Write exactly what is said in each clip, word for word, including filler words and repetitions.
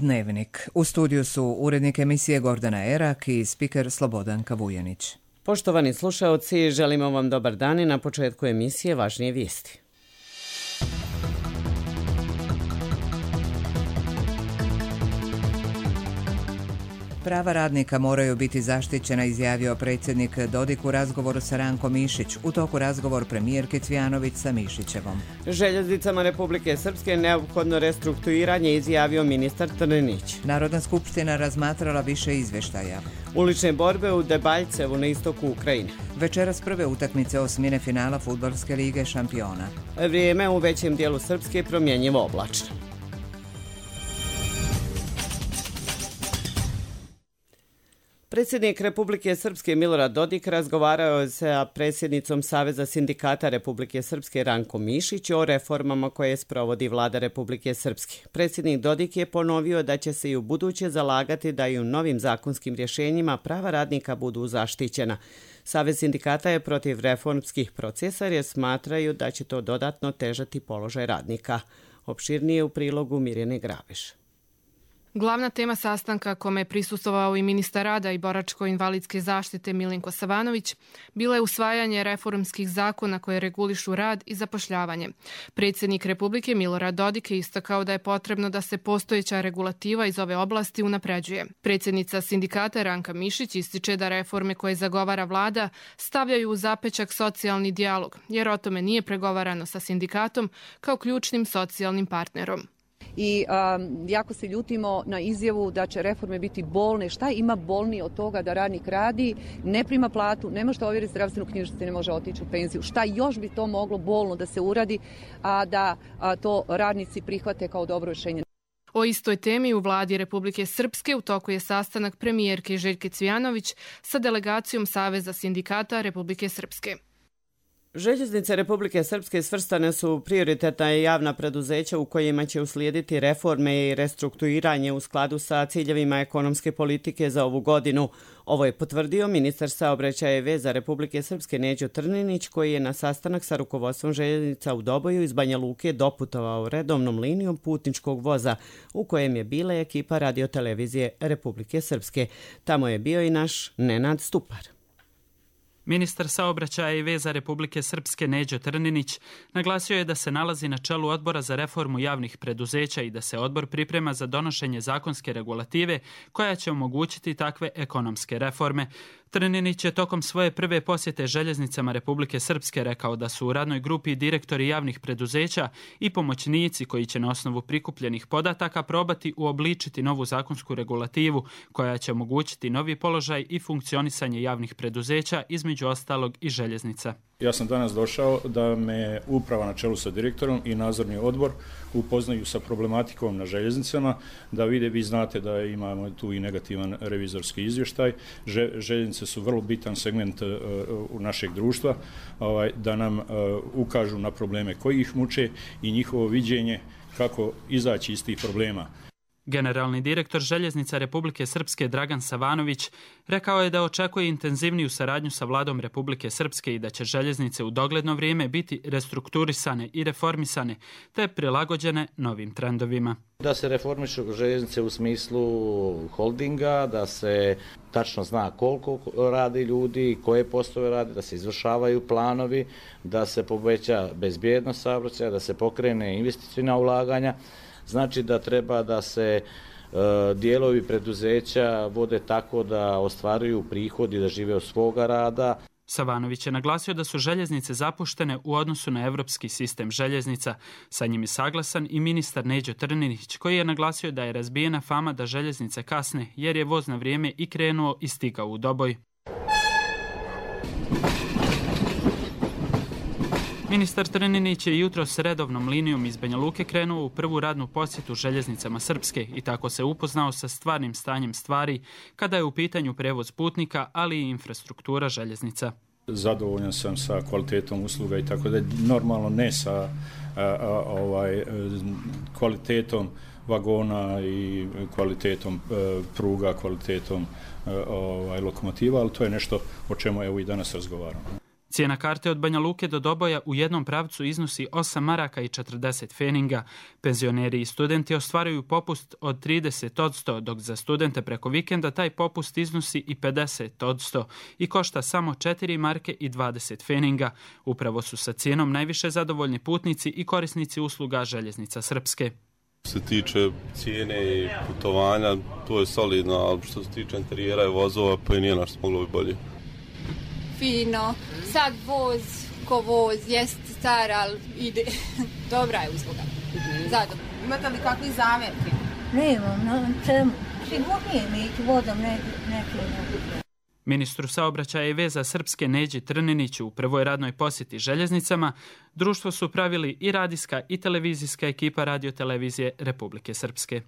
Dnevnik. U studiju su urednik emisije Gordana Erak i spiker Slobodanka Vujanić. Poštovani slušaoci, želimo vam dobar dan i na početku emisije važnije vijesti. Prava radnika moraju biti zaštićena, izjavio predsjednik Dodik u razgovoru sa Rankom Mišić. U toku razgovor premijerke Cvjanović sa Mišićevom. Željeznicama Republike Srpske neophodno restrukturiranje, izjavio ministar Trninić. Narodna skupština razmatrala više izvještaja. Ulične borbe u Debaljcevu na istoku Ukrajine. Večeras prve utakmice osmine finala Fudbalske lige šampiona. Vrijeme u većem dijelu Srpske promjenjivo oblačno. Predsjednik Republike Srpske Milorad Dodik razgovarao je sa predsjednicom Saveza sindikata Republike Srpske Rankom Mišić o reformama koje sprovodi vlada Republike Srpske. Predsjednik Dodik je ponovio da će se i u buduće zalagati da i u novim zakonskim rješenjima prava radnika budu zaštićena. Savez sindikata je protiv reformskih procesa jer smatraju da će to dodatno težati položaj radnika. Opširnije u prilogu Mirjane Grabiš. Glavna tema sastanka, kome je prisustvovao i ministar rada i boračko-invalidske zaštite Milinko Savanović, bilo je usvajanje reformskih zakona koje regulišu rad i zapošljavanje. Predsjednik Republike Milorad Dodik je istakao da je potrebno da se postojeća regulativa iz ove oblasti unapređuje. Predsjednica sindikata Ranka Mišić ističe da reforme koje zagovara vlada stavljaju u zapečak socijalni dijalog, jer o tome nije pregovarano sa sindikatom kao ključnim socijalnim partnerom. I um, jako se ljutimo na izjavu da će reforme biti bolne. Šta ima bolnije od toga da radnik radi, ne prima platu, ne može ovjeriti zdravstvenu knjižicu, ne može otići u penziju. Šta još bi to moglo bolno da se uradi, a da a to radnici prihvate kao dobro rješenje? O istoj temi u vladi Republike Srpske u toku je sastanak premijerke Željke Cvjanović sa delegacijom Saveza sindikata Republike Srpske. Željeznice Republike Srpske svrstane su prioritetna javna preduzeća u kojima će uslijediti reforme i restrukturiranje u skladu sa ciljevima ekonomske politike za ovu godinu. Ovo je potvrdio ministar saobraćaja i veza Republike Srpske Neđo Trninić, koji je na sastanak sa rukovodstvom željeznica u Doboju iz Banja Luke doputovao redovnom linijom putničkog voza u kojem je bila ekipa radiotelevizije Republike Srpske. Tamo je bio i naš Nenad Stupar. Ministar saobraćaja i veza Republike Srpske Neđo Trninić naglasio je da se nalazi na čelu odbora za reformu javnih preduzeća i da se odbor priprema za donošenje zakonske regulative koja će omogućiti takve ekonomske reforme. Trninić je tokom svoje prve posjete željeznicama Republike Srpske rekao da su u radnoj grupi direktori javnih preduzeća i pomoćnici koji će na osnovu prikupljenih podataka probati uobličiti novu zakonsku regulativu koja će omogućiti novi položaj i funkcionisanje javnih preduzeća, između ostalog i željeznica. Ja sam danas došao da me uprava na čelu sa direktorom i nadzorni odbor upoznaju sa problematikom na željeznicama, da vide, vi znate da imamo tu i negativan revizorski izvještaj. Željeznice su vrlo bitan segment uh, našeg društva, ovaj, da nam uh, ukažu na probleme koji ih muče i njihovo viđenje kako izaći iz tih problema. Generalni direktor Željeznica Republike Srpske Dragan Savanović rekao je da očekuje intenzivniju saradnju sa vladom Republike Srpske i da će željeznice u dogledno vrijeme biti restrukturisane i reformisane te prilagođene novim trendovima. Da se reformišu željeznice u smislu holdinga, da se tačno zna koliko radi ljudi, koje poslove radi, da se izvršavaju planovi, da se poveća bezbjednost saobraćaja, da se pokrene investicijna ulaganja. Znači da treba da se e, dijelovi preduzeća vode tako da ostvaruju prihod i da žive od svoga rada. Savanović je naglasio da su željeznice zapuštene u odnosu na evropski sistem željeznica. Sa njim je saglasan i ministar Neđo Trninić, koji je naglasio da je razbijena fama da željeznice kasne jer je voz na vrijeme i krenuo i stigao u Doboj. Ministar Trninić je jutro s redovnom linijom iz Banja Luke krenuo u prvu radnu posjetu željeznicama Srpske i tako se upoznao sa stvarnim stanjem stvari kada je u pitanju prevoz putnika, ali i infrastruktura željeznica. Zadovoljan sam sa kvalitetom usluga i tako da normalno ne sa a, a, ovaj, kvalitetom vagona i kvalitetom a, pruga, kvalitetom a, ovaj, lokomotiva, ali to je nešto o čemu evo i danas razgovaramo. Cijena karte od Banja Luke do Doboja u jednom pravcu iznosi osam maraka i četrdeset feninga. Penzioneri i studenti ostvaruju popust od trideset odsto, dok za studente preko vikenda taj popust iznosi i pedeset odsto i košta samo četiri marke i dvadeset feninga. Upravo su sa cijenom najviše zadovoljni putnici i korisnici usluga Željeznica Srpske. Što se tiče cijene i putovanja, to je solidno, ali što se tiče interijera i vozova, pa i nije našto moglo bi bolje. Fino, sad voz ko voz, jest star, ali ide. Dobra je usluga. Zadovoljno. Imate li kakvi zamjerki? Nemam, na čemu. Sigurnije mi ići vodom neke. Ministru saobraćaja i veza Srpske Neđi Trniniću u prvoj radnoj posjeti željeznicama društvo su pravili i radijska i televizijska ekipa radiotelevizije Republike Srpske.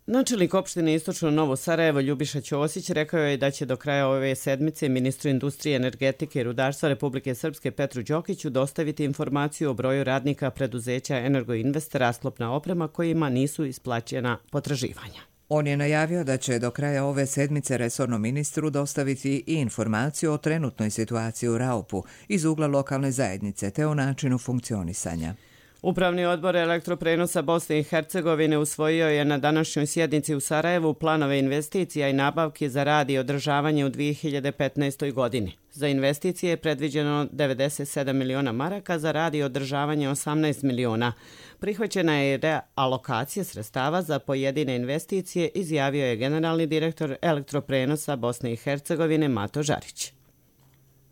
Načelnik opštine Istočno Novo Sarajevo Ljubiša Ćosić rekao je da će do kraja ove sedmice ministru industrije, energetike i rudarstva Republike Srpske Petru Đokiću dostaviti informaciju o broju radnika preduzeća Energoinvest rasklopna oprema kojima nisu isplaćena potraživanja. On je najavio da će do kraja ove sedmice resornom ministru dostaviti i informaciju o trenutnoj situaciji u Raupu iz ugla lokalne zajednice te o načinu funkcionisanja. Upravni odbor Elektroprenosa Bosne i Hercegovine usvojio je na današnjoj sjednici u Sarajevu planove investicija i nabavki za rad i održavanje u dvije hiljade petnaestoj. godini. Za investicije je predviđeno devedeset sedam miliona maraka, za rad i održavanje osamnaest miliona. Prihvaćena je realokacija sredstava za pojedine investicije, izjavio je generalni direktor Elektroprenosa Bosne i Hercegovine Mato Žarić.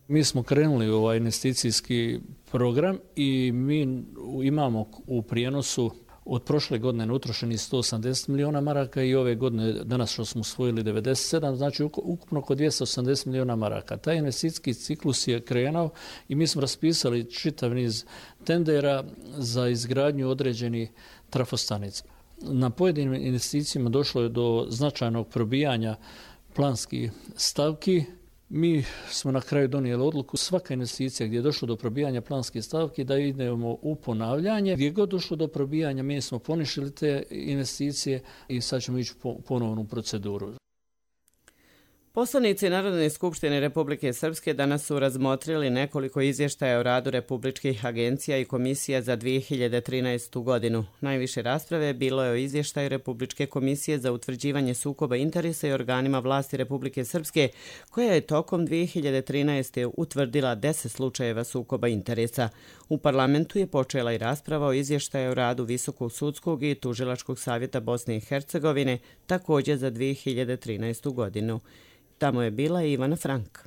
Mi smo krenuli u ovaj investicijski program i mi imamo u prijenosu od prošle godine utrošeni sto osamdeset miliona maraka i ove godine danas što smo usvojili devedeset sedam, znači ukupno oko dvjesto osamdeset miliona maraka. Taj investicijski ciklus je krenuo i mi smo raspisali čitav niz tendera za izgradnju određenih trafostanica. Na pojedinim investicijama došlo je do značajnog probijanja planskih stavki. Mi smo na kraju donijeli odluku svaka investicija gdje je došlo do probijanja planske stavke da idemo u ponavljanje. Gdje je god došlo do probijanja mi smo poništili te investicije i sad ćemo ići po ponovnu proceduru. Poslanici Narodne skupštine Republike Srpske danas su razmotrili nekoliko izvještaja o radu republičkih agencija i komisija za dvije hiljade trinaestu. godinu. Najviše rasprave bilo je o izvještaju Republičke komisije za utvrđivanje sukoba interesa i organima vlasti Republike Srpske, koja je tokom dvije hiljade trinaeste. utvrdila deset slučajeva sukoba interesa. U parlamentu je počela i rasprava o izvještaju o radu Visokog sudskog i Tužilačkog savjeta Bosne i Hercegovine, također za dvije hiljade trinaestu. godinu. Tamo je bila i Ivana Frank.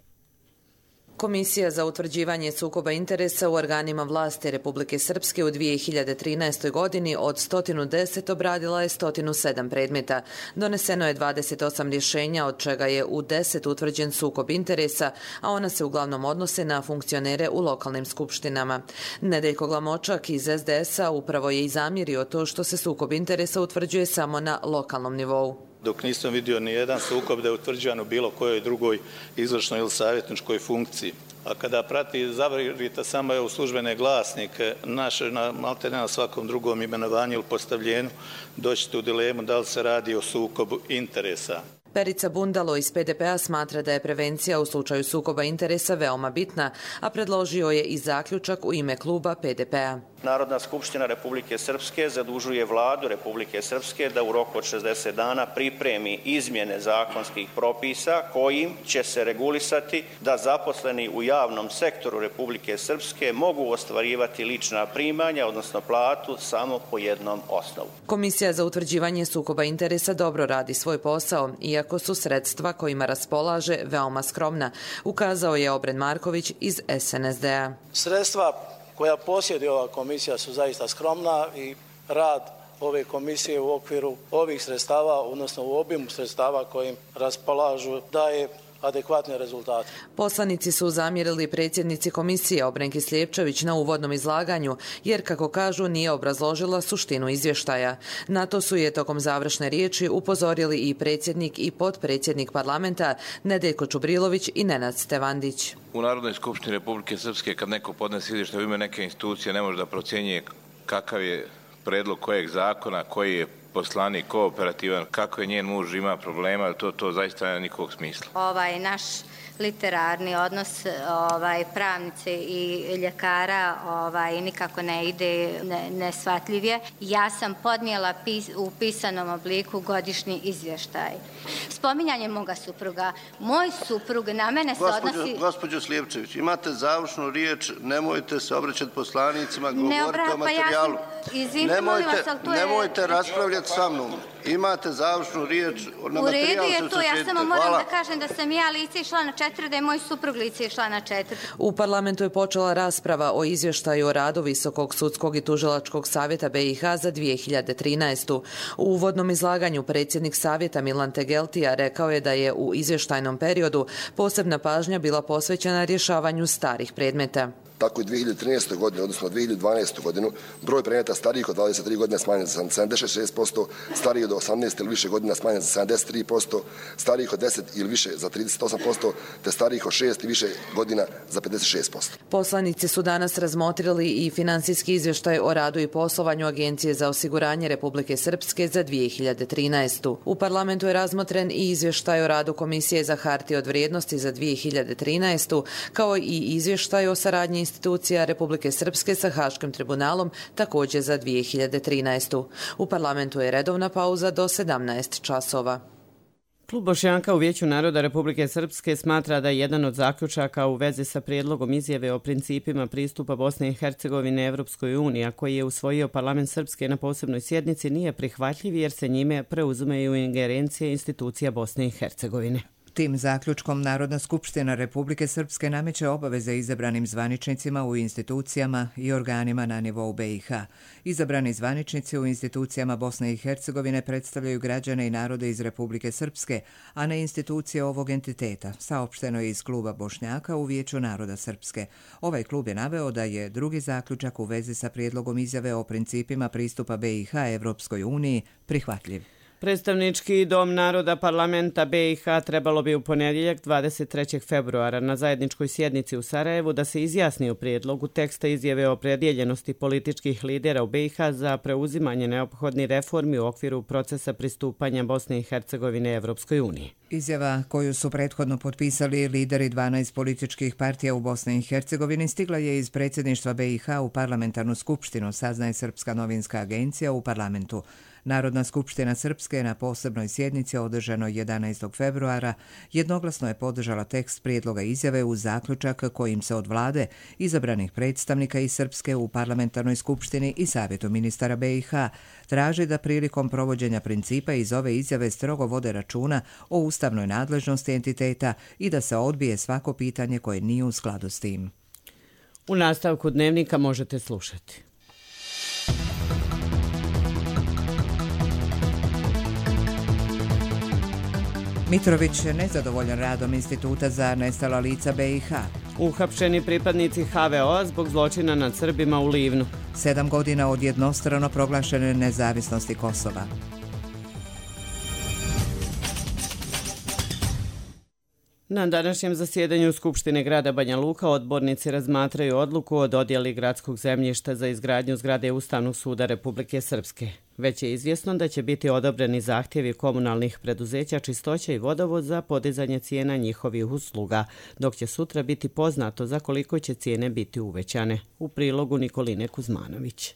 Komisija za utvrđivanje sukoba interesa u organima vlasti Republike Srpske u dvije hiljade trinaestoj. godini od sto deset obradila je sto sedam predmeta. Doneseno je dvadeset osam rješenja, od čega je u deset utvrđen sukob interesa, a ona se uglavnom odnose na funkcionere u lokalnim skupštinama. Nedeljko Glamočak iz es de es a upravo je i zamjerio to što se sukob interesa utvrđuje samo na lokalnom nivou. Dok nisam vidio ni jedan sukob da je utvrđen u bilo kojoj drugoj izvršnoj ili savjetničkoj funkciji. A kada prati, zavrite samo je u službene glasnike, naše na maltene na svakom drugom imenovanju ili postavljenju, doćete u dilemu da li se radi o sukobu interesa. Perica Bundalo iz pe de pe a smatra da je prevencija u slučaju sukoba interesa veoma bitna, a predložio je i zaključak u ime kluba pe de pe a. Narodna skupština Republike Srpske zadužuje vladu Republike Srpske da u roku od šezdeset dana pripremi izmjene zakonskih propisa kojim će se regulisati da zaposleni u javnom sektoru Republike Srpske mogu ostvarivati lična primanja, odnosno platu, samo po jednom osnovu. Komisija za utvrđivanje sukoba interesa dobro radi svoj posao, iako su sredstva kojima raspolaže veoma skromna, ukazao je Obren Marković iz es en es de a. Sredstva koja posjeduje ova komisija su zaista skromna i rad ove komisije u okviru ovih sredstava, odnosno u obimu sredstava kojim raspolažu, daje adekvatne rezultate. Poslanici su zamjerili predsjednici komisije Obrenki Slijepčević na uvodnom izlaganju, jer, kako kažu, nije obrazložila suštinu izvještaja. Na to su je tokom završne riječi upozorili i predsjednik i potpredsjednik parlamenta Nedeljko Čubrilović i Nenad Stevandić. U Narodnoj skupštini Republike Srpske kad neko podnese izvještaj u ime neke institucije ne može da procjenjuje kakav je predlog kojeg zakona, koji je poslanik kooperativan, kako je njen muž ima problema, to, to zaista nema nikakvog smisla. Ovaj naš literarni odnos ovaj, pravnice i ljekara ovaj, nikako ne ide, ne, nesvatljiv je. Ja sam podnijela pis, u pisanom obliku godišnji izvještaj. Spominjanje moga supruga. Moj suprug na mene se Gospođo, odnosi... Gospođo Slijepčević, imate završnu riječ, nemojte se obraćati poslanicima, govorite ne obra... o materijalu. Pa ja sam... nemojte vas, to nemojte je... raspravljati sa mnom. Imate završnu riječ, na u redu materijalu je se to, ja samo moram Hvala. da kažem da sam ja lice išla na četiri, da je moj suprug lice išla na četiri. U parlamentu je počela rasprava o izvještaju o radu Visokog sudskog i tužilačkog savjeta B i H za dvije hiljade trinaestu. U uvodnom izlaganju predsjednik savjeta Milan Tegeltija rekao je da je u izvještajnom periodu posebna pažnja bila posvećena rješavanju starih predmeta. Tako i dvije hiljade trinaeste. godine, odnosno dvije hiljade dvanaestu. godinu, broj predmeta starijih od dvadeset tri godine smanjen za sedamdeset šest posto, starijih od osamnaest ili više godina smanjen za sedamdeset tri posto, starijih od deset ili više za trideset osam posto, te starijih od šest i više godina za pedeset šest posto. Poslanici su danas razmotrili i financijski izvještaj o radu i poslovanju Agencije za osiguranje Republike Srpske za dvije hiljade trinaestu. U parlamentu je razmotren i izvještaj o radu Komisije za hartije od vrijednosti za dvije hiljade trinaestu, kao i izvještaj o saradnji institucija Republike Srpske sa Haškim tribunalom također za dvije hiljade trinaestu. U parlamentu je redovna pauza do sedamnaest časova. Klub Bošnjaka u Vijeću naroda Republike Srpske smatra da je jedan od zaključaka u vezi sa prijedlogom izjave o principima pristupa Bosne i Hercegovine Evropskoj uniji, a koji je usvojio parlament Srpske na posebnoj sjednici, nije prihvatljiv jer se njime preuzimaju ingerencije institucija Bosne i Hercegovine. Tim zaključkom Narodna skupština Republike Srpske nameće obaveze izabranim zvaničnicima u institucijama i organima na nivou B i H. Izabrani zvaničnici u institucijama Bosne i Hercegovine predstavljaju građane i narode iz Republike Srpske, a ne institucije ovog entiteta, saopšteno je iz kluba Bošnjaka u Vijeću naroda Srpske. Ovaj klub je naveo da je drugi zaključak u vezi sa prijedlogom izjave o principima pristupa B i H Evropskoj uniji prihvatljiv. Predstavnički dom naroda parlamenta B i H trebalo bi u ponedjeljak dvadeset trećeg februara na zajedničkoj sjednici u Sarajevu da se izjasni o prijedlogu teksta izjave o opredjeljenosti političkih lidera u B i H za preuzimanje neophodnih reformi u okviru procesa pristupanja Bosne i Hercegovine Evropskoj uniji. Izjava koju su prethodno potpisali lideri dvanaest političkih partija u Bosni i Hercegovini stigla je iz predsjedništva B i H u parlamentarnu skupštinu, saznaje Srpska novinska agencija u parlamentu. Narodna skupština Srpske na posebnoj sjednici održanoj jedanaestog februara jednoglasno je podržala tekst prijedloga izjave u zaključak kojim se od vlade, izabranih predstavnika iz Srpske u parlamentarnoj skupštini i savjetu ministara B i H traži da prilikom provođenja principa iz ove izjave strogo vode računa o ustavnoj nadležnosti entiteta i da se odbije svako pitanje koje nije u skladu s tim. U nastavku dnevnika možete slušati. Mitrović je nezadovoljan radom Instituta za nestala lica B i H. Uhapšeni pripadnici H V O-a zbog zločina nad Srbima u Livnu. Sedam godina od jednostrano proglašene nezavisnosti Kosova. Na današnjem zasjedanju Skupštine grada Banja Luka odbornici razmatraju odluku o dodjeli gradskog zemljišta za izgradnju zgrade Ustavnog suda Republike Srpske. Već je izvjesno da će biti odobreni zahtjevi komunalnih preduzeća Čistoća i Vodovod za podizanje cijena njihovih usluga, dok će sutra biti poznato za koliko će cijene biti uvećane. U prilogu Nikoline Kuzmanović.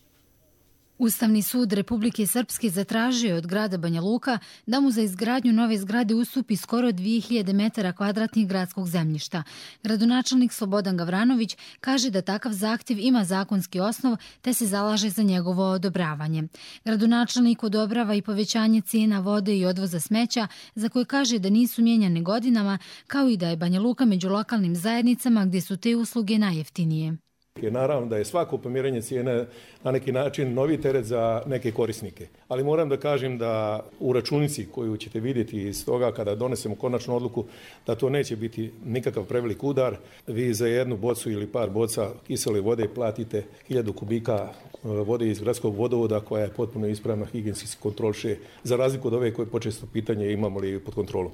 Ustavni sud Republike Srpske zatražio od grada Banja Luka da mu za izgradnju nove zgrade ustupi skoro dvije hiljade metara kvadratnih gradskog zemljišta. Gradonačelnik Slobodan Gavranović kaže da takav zahtjev ima zakonski osnov te se zalaže za njegovo odobravanje. Gradonačelnik odobrava i povećanje cijena vode i odvoza smeća za koje kaže da nisu mijenjane godinama, kao i da je Banja Luka među lokalnim zajednicama gdje su te usluge najjeftinije. Naravno da je svako pomiranje cijene na neki način novi teret za neke korisnike. Ali moram da kažem da u računici koju ćete vidjeti iz toga kada donesemo konačnu odluku da to neće biti nikakav prevelik udar. Vi za jednu bocu ili par boca kisele vode platite hiljadu kubika vode iz gradskog vodovoda koja je potpuno ispravna, higijenski se kontroliše, za razliku od ove koje počesto pitanje imamo li pod kontrolom.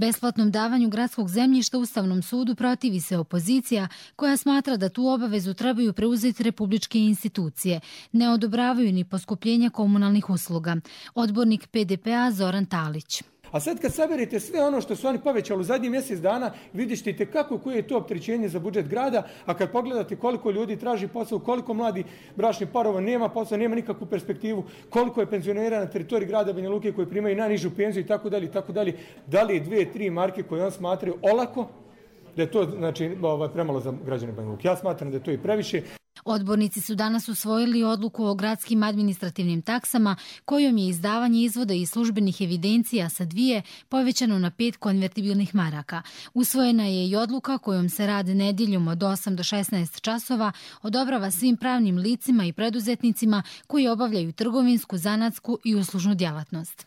Besplatnom davanju gradskog zemljišta Ustavnom sudu protivi se opozicija koja smatra da tu obavezu trebaju preuzeti republičke institucije. Ne odobravaju ni poskupljenja komunalnih usluga. Odbornik P D P-a Zoran Talić. A sad kad saberete sve ono što su oni povećali u zadnjih mjesec dana, vidjet ćete kako koje je to opterećenje za budžet grada, a kad pogledate koliko ljudi traži posao, koliko mladi bračnih parova nema posao, nema nikakvu perspektivu, koliko je penzionera na teritoriji grada Banja Luke koji primaju najnižu penziju i tako dalje i tako dalje, da li je dvije, tri marke koje on smatraju olako, da je to znači, ovaj, premalo za građane Banja Luke. Ja smatram da je to i previše. Odbornici su danas usvojili odluku o gradskim administrativnim taksama kojom je izdavanje izvoda iz službenih evidencija sa dvije povećano na pet konvertibilnih maraka. Usvojena je i odluka kojom se rad nedjeljom od osam do šesnaest časova odobrava svim pravnim licima i preduzetnicima koji obavljaju trgovinsku, zanatsku i uslužnu djelatnost.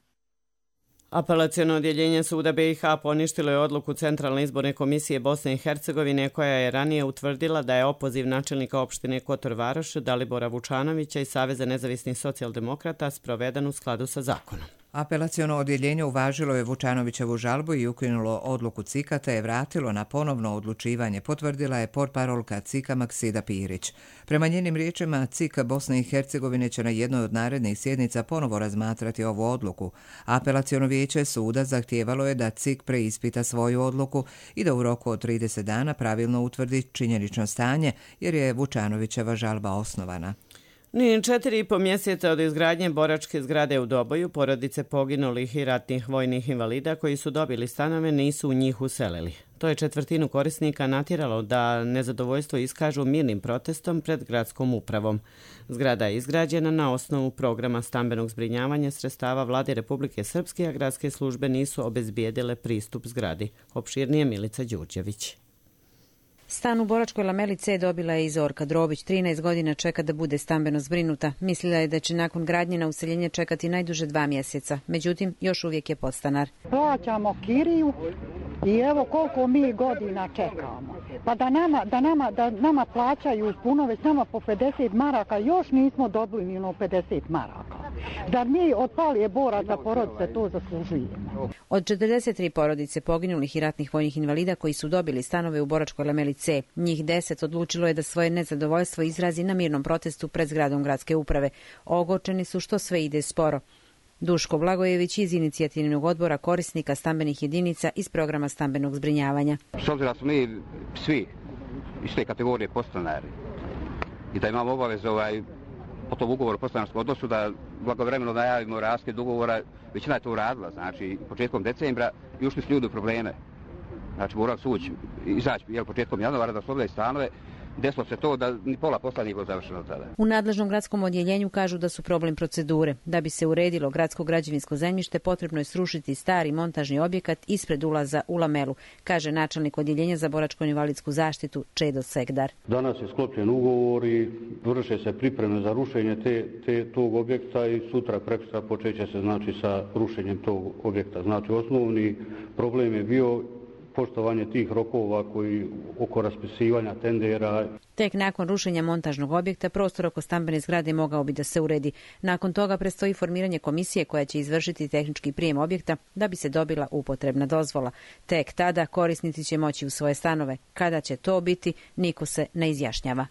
Apelaciono odjeljenje Suda B i H poništilo je odluku Centralne izborne komisije Bosne i Hercegovine koja je ranije utvrdila da je opoziv načelnika opštine Kotor Varoš Dalibora Vučanovića i Saveza nezavisnih socijaldemokrata sproveden u skladu sa zakonom. Apelaciono odjeljenje uvažilo je Vučanovićevu žalbu i ukinulo odluku C I K-a te je vratilo na ponovno odlučivanje, potvrdila je portparolka C I K-a Maksida Pirić. Prema njenim riječima, C I K Bosne i Hercegovine će na jednoj od narednih sjednica ponovo razmatrati ovu odluku. Apelaciono vijeće suda zahtijevalo je da C I K preispita svoju odluku i da u roku od trideset dana pravilno utvrdi činjenično stanje, jer je Vučanovićeva žalba osnovana. Ni četiri i po mjeseca od izgradnje boračke zgrade u Doboju, porodice poginulih i ratnih vojnih invalida koji su dobili stanove nisu u njih uselili. To je četvrtinu korisnika natjeralo da nezadovoljstvo iskažu mirnim protestom pred gradskom upravom. Zgrada je izgrađena na osnovu programa stambenog zbrinjavanja sredstava Vlade Republike Srpske, a gradske službe nisu obezbijedile pristup zgradi. Opširnije Milica Đurđević. Stan u Boračkoj lameli C dobila je i Zorka Drobić. trinaest godina čeka da bude stambeno zbrinuta. Mislila je da će nakon gradnje na useljenje čekati najduže dva mjeseca. Međutim, još uvijek je podstanar. Plaćamo kiriju i evo koliko mi godina čekamo. Pa da nama, da nama, da nama plaćaju puno, već nama po pedeset maraka, još nismo dobili ni ono pedeset maraka. Zar mi od palije boraca porodice to zaslužujemo? Od četrdeset tri porodice poginulih i ratnih vojnih invalida koji su dobili stanove u Boračkoj lameli C, njih deset odlučilo je da svoje nezadovoljstvo izrazi na mirnom protestu pred zgradom gradske uprave. Ogorčeni su što sve ide sporo. Duško Blagojević iz inicijativnog odbora korisnika stambenih jedinica iz programa stambenog zbrinjavanja. S obzirom da smo mi svi iz te kategorije podstanari i da imamo obavezu ovaj, po tom ugovoru o podstanarskom odnosu da blagovremeno najavimo raskid ugovora, većina je to uradila, znači početkom decembra i ušli su ljudi u probleme. Znači morali su ući, izaći jel, početkom januara da oslovljaju stanove. Desilo se to da ni pola posla nije bilo završeno tada. U nadležnom gradskom odjeljenju kažu da su problem procedure. Da bi se uredilo gradsko građevinsko zemljište, potrebno je srušiti stari montažni objekat ispred ulaza u lamelu, kaže načelnik odjeljenja za boračko-invalidsku zaštitu Čedo Segdar. Danas je sklopljen ugovor i vrše se pripreme za rušenje te, te, tog objekta i sutra prekosutra počeće se znači sa rušenjem tog objekta. Znači osnovni problem je bio poštovanje tih rokova koji oko raspisivanja tendera. Tek nakon rušenja montažnog objekta prostor oko stambene zgrade mogao bi da se uredi. Nakon toga predstoji formiranje komisije koja će izvršiti tehnički prijem objekta da bi se dobila upotrebna dozvola. Tek tada korisnici će moći u svoje stanove. Kada će to biti, niko se ne izjašnjava.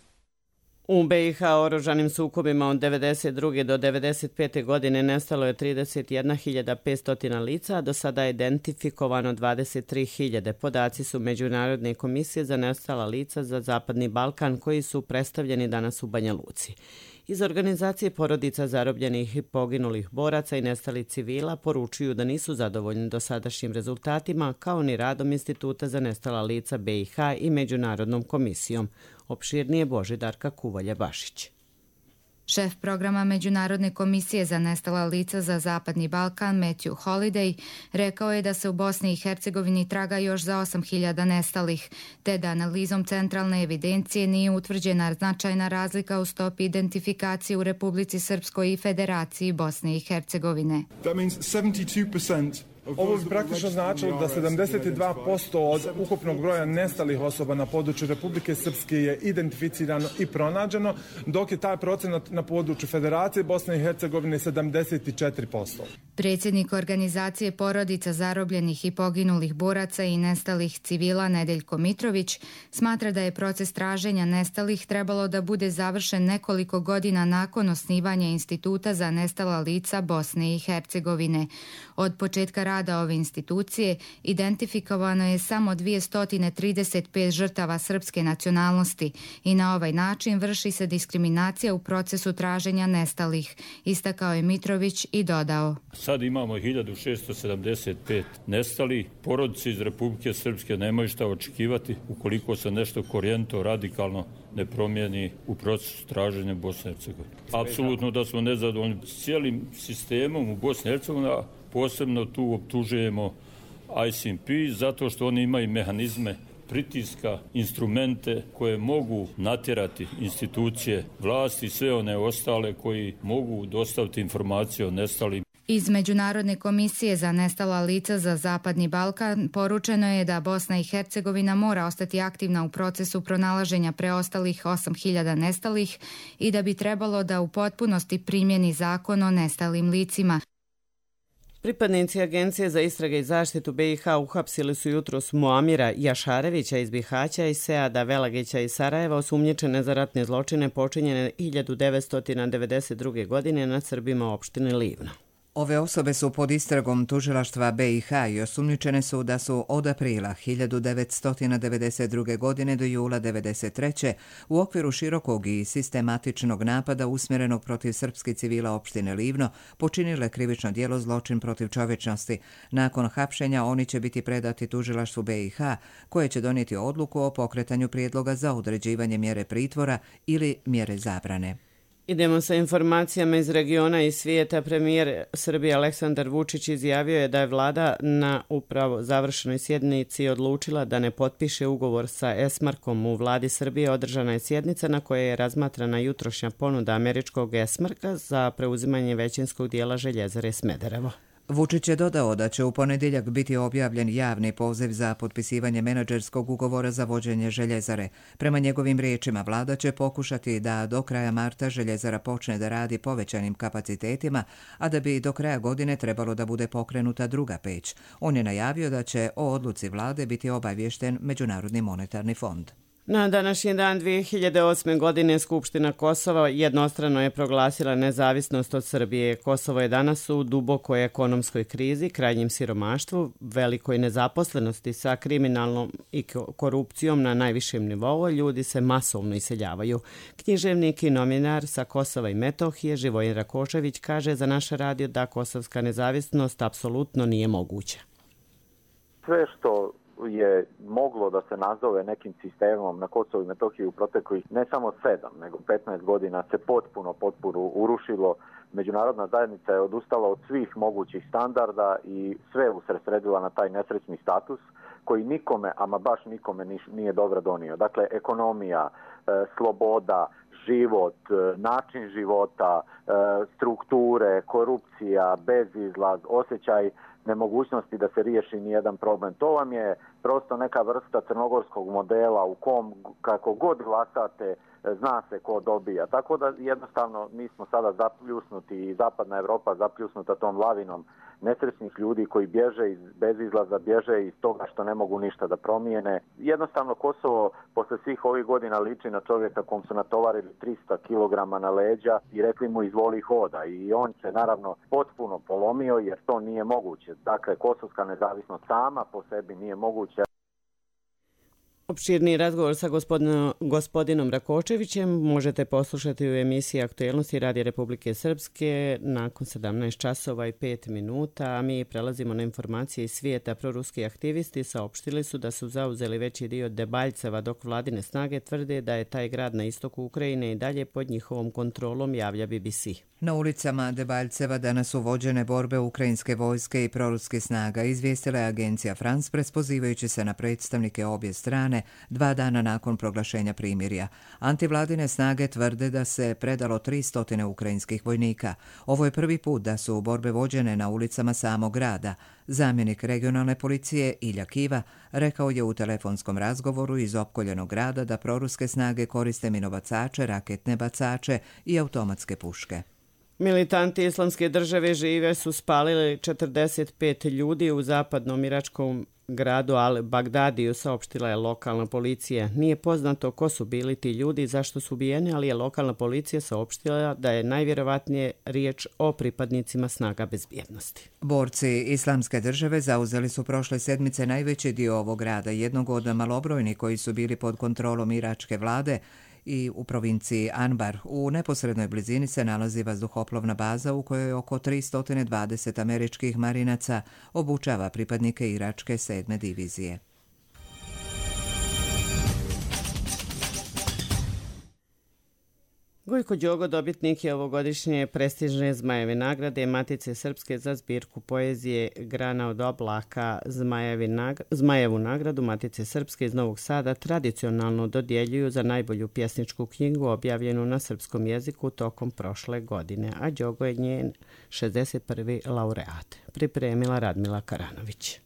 U B i H oružanim sukobima od devedeset druge do devedeset pete godine nestalo je trideset jedna hiljada petsto lica, a do sada je identifikovano dvadeset tri hiljade. Podaci su Međunarodne komisije za nestala lica za Zapadni Balkan koji su predstavljeni danas u Banja Luci. Iz organizacije porodica zarobljenih i poginulih boraca i nestalih civila poručuju da nisu zadovoljni dosadašnjim rezultatima kao ni radom Instituta za nestala lica B i H i Međunarodnom komisijom. Opširnije Božidarka Kuvalja-Bašić. Šef programa Međunarodne komisije za nestala lica za Zapadni Balkan, Matthew Holiday, rekao je da se u Bosni i Hercegovini traga još za osam hiljada nestalih, te da analizom centralne evidencije nije utvrđena značajna razlika u stopi identifikacije u Republici Srpskoj i Federaciji Bosne i Hercegovine. Ovo bi praktično značilo da sedamdeset dva posto od ukupnog broja nestalih osoba na području Republike Srpske je identificirano i pronađeno, dok je taj procenat na području Federacije Bosne i Hercegovine sedamdeset četiri posto. Predsjednik organizacije porodica zarobljenih i poginulih boraca i nestalih civila Nedeljko Mitrović smatra da je proces traženja nestalih trebalo da bude završen nekoliko godina nakon osnivanja Instituta za nestala lica Bosne i Hercegovine. Od početka rada ove institucije identifikovano je samo dvjesto trideset pet žrtava srpske nacionalnosti i na ovaj način vrši se diskriminacija u procesu traženja nestalih, istakao je Mitrović i dodao. Sad imamo hiljadu šesto sedamdeset pet nestalih. Porodice iz Republike Srpske nemaju šta očekivati ukoliko se nešto korijento, radikalno ne promijeni u procesu traženja Bosne i Hercegovine. Apsolutno da smo nezadovoljni s cijelim sistemom u Bosni i Hercegovini, a posebno tu optužujemo I C P zato što oni imaju mehanizme pritiska, instrumente koje mogu natjerati institucije vlasti i sve one ostale koji mogu dostaviti informacije o nestalim. Iz Međunarodne komisije za nestala lica za Zapadni Balkan poručeno je da Bosna i Hercegovina mora ostati aktivna u procesu pronalaženja preostalih osam hiljada nestalih i da bi trebalo da u potpunosti primjeni zakon o nestalim licima. Pripadnici Agencije za istrage i zaštitu B i H uhapsili su jutros Muamira Jašarevića iz Bihaća i Seada Velagića iz Sarajeva, osumnjičene za ratne zločine počinjene hiljadu devetsto devedeset druge. godine nad Srbima opštine Livno. Ove osobe su pod istragom tužilaštva B i H i osumnjičene su da su od aprila hiljadu devetsto devedeset druge. godine do jula devedeset treće. u okviru širokog i sistematičnog napada usmjerenog protiv srpskih civila opštine Livno počinile krivično djelo zločin protiv čovječnosti. Nakon hapšenja oni će biti predati tužilaštvu B i H koje će donijeti odluku o pokretanju prijedloga za određivanje mjere pritvora ili mjere zabrane. Idemo sa informacijama iz regiona i svijeta. Premijer Srbije Aleksandar Vučić izjavio je da je vlada na upravo završenoj sjednici odlučila da ne potpiše ugovor sa Esmarkom. U vladi Srbije održana je sjednica na kojoj je razmatrana jutrošnja ponuda američkog Esmarka za preuzimanje većinskog dijela željezare Smederevo. Vučić je dodao da će u ponedjeljak biti objavljen javni poziv za potpisivanje menadžerskog ugovora za vođenje željezare. Prema njegovim riječima, vlada će pokušati da do kraja marta željezara počne da radi povećanim kapacitetima, a da bi do kraja godine trebalo da bude pokrenuta druga peć. On je najavio da će o odluci vlade biti obaviješten Međunarodni monetarni fond. Na današnji dan dvije hiljade osme. godine Skupština Kosova jednostrano je proglasila nezavisnost od Srbije. Kosovo je danas u dubokoj ekonomskoj krizi, krajnjem siromaštvu, velikoj nezaposlenosti sa kriminalnom i korupcijom na najvišem nivou. Ljudi se masovno iseljavaju. Književnik i novinar sa Kosova i Metohije Živojin Rakočević kaže za naš radio da kosovska nezavisnost apsolutno nije moguća. Sve što je moglo da se nazove nekim sistemom na Kosovu i Metohiji u proteklih ne samo sedam, nego petnaest godina se potpuno, potpuno urušilo. Međunarodna zajednica je odustala od svih mogućih standarda i sve usredsredila na taj nesrećni status koji nikome, ama baš nikome nije dobro donio. Dakle, ekonomija, sloboda, život, način života, strukture, korupcija, bezizlaz, osjećaj nemogućnosti da se riješi nijedan problem. To vam je prosto neka vrsta crnogorskog modela u kom kako god glasate zna se ko dobija. Tako da jednostavno mi smo sada zapljusnuti i zapadna Evropa zapljusnuta tom lavinom nesrećnih ljudi koji bježe iz bezizlaza, bježe iz toga što ne mogu ništa da promijene. Jednostavno Kosovo posle svih ovih godina liči na čovjeka kom su natovarili tristo kilograma na leđa i rekli mu izvoli hoda. I on se naravno potpuno polomio jer to nije moguće. Dakle, kosovska nezavisnost sama po sebi nije moguća. Opširni razgovor sa gospodinom, gospodinom Rakočevićem možete poslušati u emisiji Aktuelnosti Radija Republike Srpske nakon sedamnaest časova i pet minuta, a mi prelazimo na informacije iz svijeta. Proruski aktivisti saopštili su da su zauzeli veći dio Debaljceva, dok vladine snage tvrde da je taj grad na istoku Ukrajine i dalje pod njihovom kontrolom, javlja B B C. Na ulicama Debaljceva danas su vođene borbe ukrajinske vojske i proruske snaga, izvijestila je agencija France Press pozivajući se na predstavnike obje strane dva dana nakon proglašenja primirja. Antivladine snage tvrde da se predalo tristo ukrajinskih vojnika. Ovo je prvi put da su borbe vođene na ulicama samog grada. Zamjenik regionalne policije Ilja Kiva rekao je u telefonskom razgovoru iz opkoljenog grada da proruske snage koriste minobacače, raketne bacače i automatske puške. Militanti Islamske države žive su spalili četrdeset pet ljudi u zapadnom iračkom gradu Al-Bagdadiju, saopštila je lokalna policija. Nije poznato ko su bili ti ljudi i zašto su ubijeni, ali je lokalna policija saopštila da je najvjerovatnije riječ o pripadnicima snaga bezbjednosti. Borci Islamske države zauzeli su prošle sedmice najveći dio ovog grada, jednog od malobrojnih koji su bili pod kontrolom iračke vlade, i u provinciji Anbar. U neposrednoj blizini se nalazi vazduhoplovna baza u kojoj oko tristo dvadeset američkih marinaca obučava pripadnike iračke sedme divizije. Gojko Đogo dobitnik je ovogodišnje prestižne Zmajeve nagrade Matice Srpske za zbirku poezije Grana od oblaka. Zmajevu nagradu Matice Srpske iz Novog Sada tradicionalno dodjeljuju za najbolju pjesničku knjigu objavljenu na srpskom jeziku tokom prošle godine, a Đogo je njen šezdeset prvi laureat. Pripremila Radmila Karanović.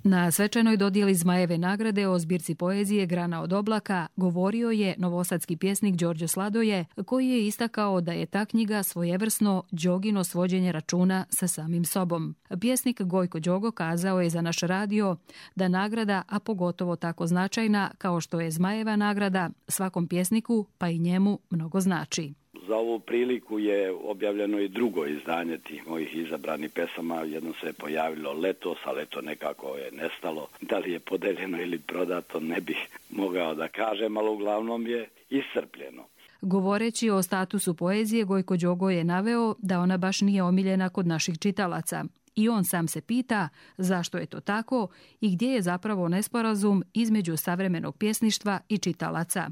Na svečanoj dodjeli Zmajeve nagrade o zbirci poezije Grana od oblaka govorio je novosadski pjesnik Đorđe Sladoje, koji je istakao da je ta knjiga svojevrsno Đogino svođenje računa sa samim sobom. Pjesnik Gojko Đogo kazao je za naš radio da nagrada, a pogotovo tako značajna kao što je Zmajeva nagrada, svakom pjesniku pa i njemu mnogo znači. Za ovu priliku je objavljeno i drugo izdanje tih mojih izabranih pesama. Jedno se je pojavilo letos, ali eto nekako je nestalo. Da li je podeljeno ili prodato, ne bih mogao da kažem, ali uglavnom je iscrpljeno. Govoreći o statusu poezije, Gojko Đogo je naveo da ona baš nije omiljena kod naših čitalaca. I on sam se pita zašto je to tako i gdje je zapravo nesporazum između savremenog pjesništva i čitalaca.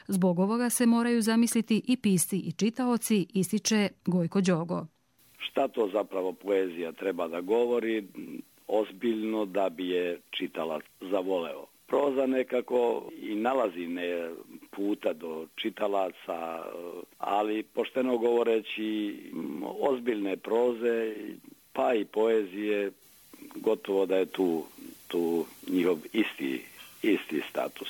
Zbog ovoga se moraju zamisliti i pisci i čitaoci, ističe Gojko Đogo. Šta to zapravo poezija treba da govori ozbiljno da bi je čitalac zavoleo? Proza nekako i nalazi ne puta do čitalaca, ali pošteno govoreći ozbiljne proze pa i poezije gotovo da je tu, tu njihov isti, isti status.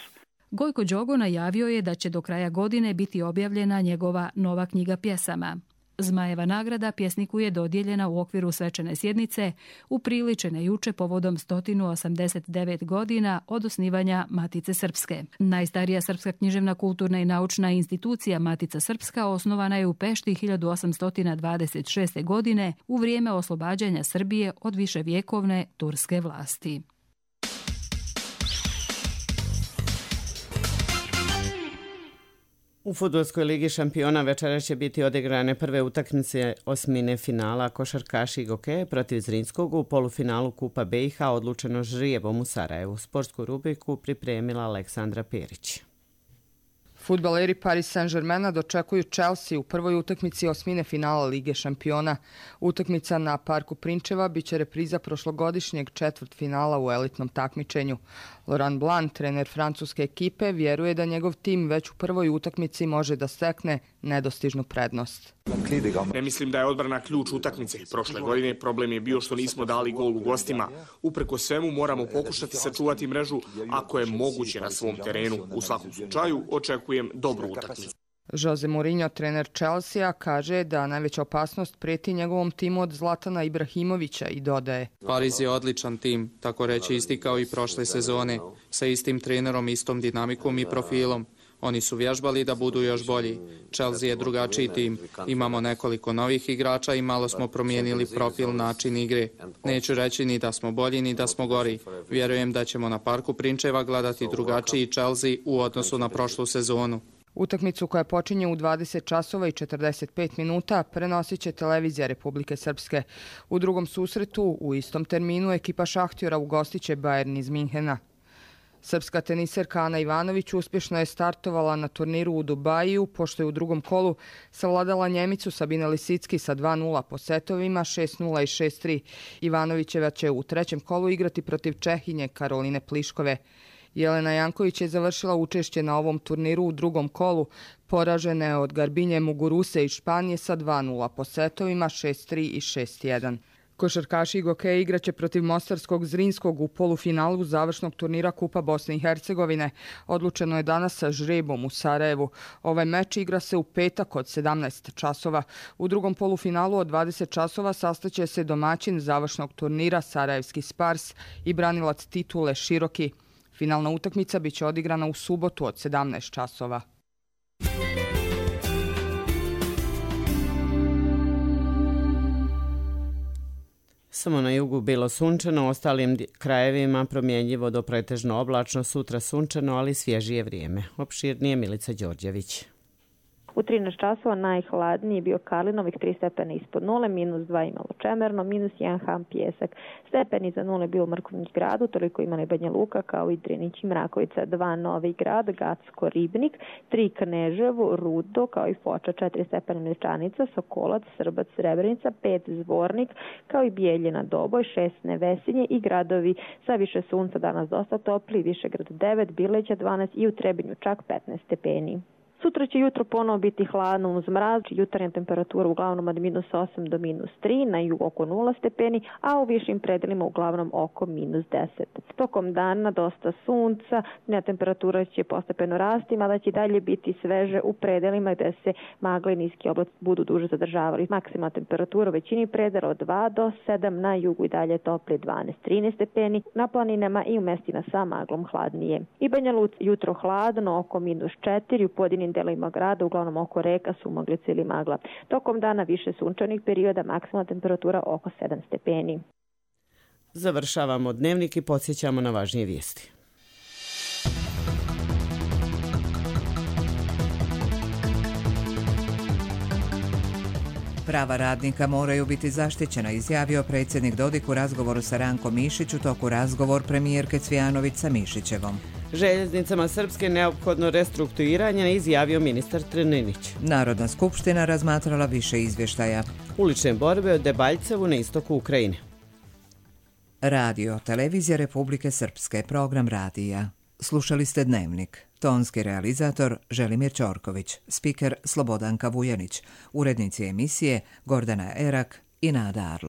Gojko Đogo najavio je da će do kraja godine biti objavljena njegova nova knjiga pjesama. Zmajeva nagrada pjesniku je dodijeljena u okviru svečane sjednice upriličene juče povodom sto osamdeset devet godina od osnivanja Matice Srpske. Najstarija srpska književna, kulturna i naučna institucija Matica Srpska osnovana je u Pešti hiljadu osamsto dvadeset šeste. godine u vrijeme oslobađanja Srbije od viševjekovne turske vlasti. U Fudbalskoj ligi šampiona večera će biti odigrane prve utakmice osmine finala košarkaši i gokeje protiv Zrinskog u polufinalu Kupa B i H odlučeno žrijevom u Sarajevu. Sportsku rubriku pripremila Aleksandra Perić. Fudbaleri Paris Saint-Germaina dočekuju Chelsea u prvoj utakmici osmine finala Lige šampiona. Utakmica na Parku Prinčeva biće repriza prošlogodišnjeg četvrtfinala u elitnom takmičenju. Laurent Blanc, trener francuske ekipe, vjeruje da njegov tim već u prvoj utakmici može da stekne nedostižnu prednost. Ne mislim da je odbrana ključ utakmice. Prošle godine problem je bio što nismo dali gol u gostima. Upreko svemu moramo pokušati sačuvati mrežu ako je moguće na svom terenu. U svakom slučaju očekujem dobru utakmicu. Jose Mourinho, trener Chelsea, kaže da najveća opasnost prijeti njegovom timu od Zlatana Ibrahimovića i dodaje: Pariz je odličan tim, tako reći isti kao i prošle sezone, sa istim trenerom, istom dinamikom i profilom. Oni su vježbali da budu još bolji. Chelsea je drugačiji tim. Imamo nekoliko novih igrača i malo smo promijenili profil, način igre. Neću reći ni da smo bolji ni da smo gori. Vjerujem da ćemo na Parku Prinčeva gledati drugačiji Chelsea u odnosu na prošlu sezonu. Utakmicu koja počinje u dvadeset časova i četrdeset pet minuta prenosit će televizija Republike Srpske. U drugom susretu u istom terminu ekipa Šahtjora ugostit će Bayern iz Minhena. Srpska teniserka Ana Ivanović uspješno je startovala na turniru u Dubaju, pošto je u drugom kolu savladala Njemicu Sabine Lisicki sa dva nula po setovima šest nula i šest tri. Ivanovićeva će u trećem kolu igrati protiv Čehinje Karoline Pliškove. Jelena Janković je završila učešće na ovom turniru u drugom kolu, poražena je od Garbinje Muguruse iz Španije sa dva nula po setovima šest tri i šest jedan. Košarkaši Gokeja igraće protiv Mostarskog Zrinskog u polufinalu završnog turnira Kupa Bosne i Hercegovine. Odlučeno je danas sa žrebom u Sarajevu. Ovaj meč igra se u petak od sedamnaest časova. U drugom polufinalu od dvadeset časova sastaće se domaćin završnog turnira Sarajevski Spars i branilac titule Široki. Finalna utakmica biće odigrana u subotu od sedamnaest časova. Samo na jugu bilo sunčano, ostalim krajevima promjenjivo do pretežno oblačno, sutra sunčano, ali svježije vrijeme. Opširnije Milica Đorđević. U trinaest časova najhladniji je bio Karlinovih tri stepena ispod nule, minus dva imalo Čemerno, minus jedan Ham Pjesak. Stepeni za nule bio u Mrkonjić gradu, toliko imali Banja Luka kao i Drinić i Mrakovica, dva Novi grad, Gacko, Ribnik, tri Kneževo, Rudo kao i Foča, četiri stepena Mlječanica, Sokolac, Srbac, Srebrenica, pet Zvornik kao i Bijeljina, Doboj, šest Nevesinje i gradovi sa više sunca danas dosta topli, Višegrad devet, Bileća dvanaest i u Trebinju čak petnaest stepeni. Sutra će jutro ponovo biti hladno uz mraz, jutarnja temperatura uglavnom od minus osam do minus tri, na jugu oko nula stepeni, a u višim predelima uglavnom oko minus deset. Tokom dana dosta sunca, dnevna temperatura će postepeno rasti, mada će dalje biti sveže u predelima gde se magle i niski oblaci budu duže zadržavali. Maksimalna temperatura u većini predela od dva do sedam, na jugu i dalje topli dvanaest do trinaest stepeni, na planinama i u mestima sa maglom hladnije. I Banja Luka jutro hladno oko minus četiri, u pojedinim delovima grada, uglavnom oko reka, sumaglica ili magla. Tokom dana više sunčanih perioda, maksimalna temperatura oko sedam stepeni. Završavamo dnevnik i podsjećamo na važnije vijesti. Prava radnika moraju biti zaštićena, izjavio predsjednik Dodik u razgovoru sa Rankom Mišić u toku razgovor premijerke Cvijanović sa Mišićevom. Željeznicama Srpske neophodno restrukturiranje, izjavio ministar Trninić. Narodna skupština razmatrala više izvještaja. Ulične borbe od Debaljcevu na istoku Ukrajine. Radio, televizija Republike Srpske, program radija. Slušali ste Dnevnik. Tonski realizator Želimir Ćorković, spiker Slobodanka Vujanić, urednici emisije Gordana Erak i Nada Arlović.